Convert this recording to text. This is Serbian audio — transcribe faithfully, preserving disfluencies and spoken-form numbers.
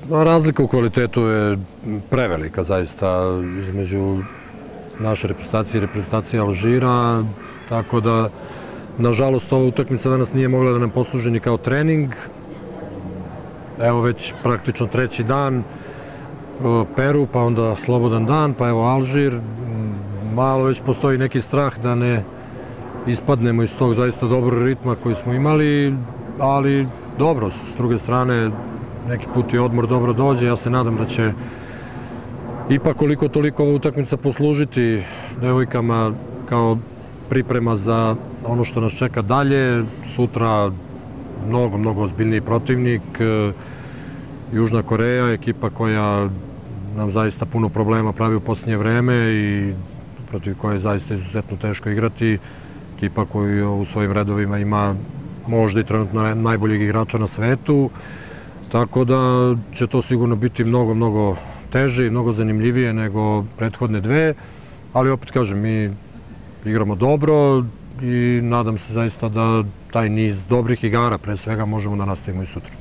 Razlika u kvalitetu je prevelika zaista između naše reprezentacije i reprezentacije Alžira, tako da nažalost ova utakmica danas nije mogla da nam posluži ni kao trening. Evo već praktično treći dan Peru, pa onda slobodan dan, pa evo Alžir. Malo već postoji neki strah da ne ispadnemo iz tog zaista dobrog ritma koji smo imali, ali dobro, s druge strane neki put i odmor dobro dođe. Ja se nadam da će ipak koliko toliko ova utakmica poslužiti devojkama kao priprema za ono što nas čeka dalje. Sutra mnogo, mnogo ozbiljniji protivnik. Južna Koreja, ekipa koja nam zaista puno problema pravi u posljednje vreme i protiv koje je zaista izuzetno teško igrati. Ekipa koju u svojim redovima ima možda i trenutno najboljeg igrača na svetu. Tako da će to sigurno biti mnogo, mnogo teže i mnogo zanimljivije nego prethodne dve. Ali opet kažem, mi igramo dobro i nadam se zaista da taj niz dobrih igara pre svega možemo da nastavimo i sutra.